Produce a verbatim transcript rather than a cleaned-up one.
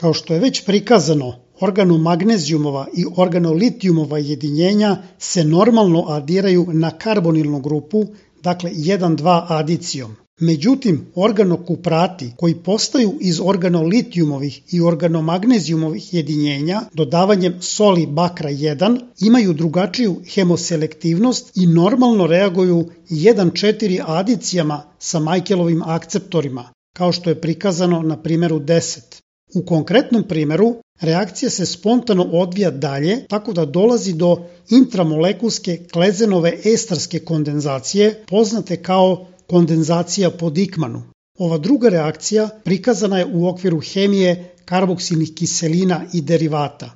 Kao što je već prikazano, organomagnezijumova i organolitijumova jedinjenja se normalno adiraju na karbonilnu grupu, dakle jedan dva adicijom. Međutim, organokuprati koji postaju iz organolitijumovih i organomagnezijumovih jedinjenja dodavanjem soli bakra jedan imaju drugačiju hemoselektivnost i normalno reaguju jedan četiri adicijama sa Michaelovim akceptorima, kao što je prikazano na primjeru deset. U konkretnom primjeru, reakcija se spontano odvija dalje, tako da dolazi do intramolekulske klezenove estarske kondenzacije, poznate kao kondenzacija po Dikmanu. Ova druga reakcija prikazana je u okviru hemije karboksilnih kiselina i derivata.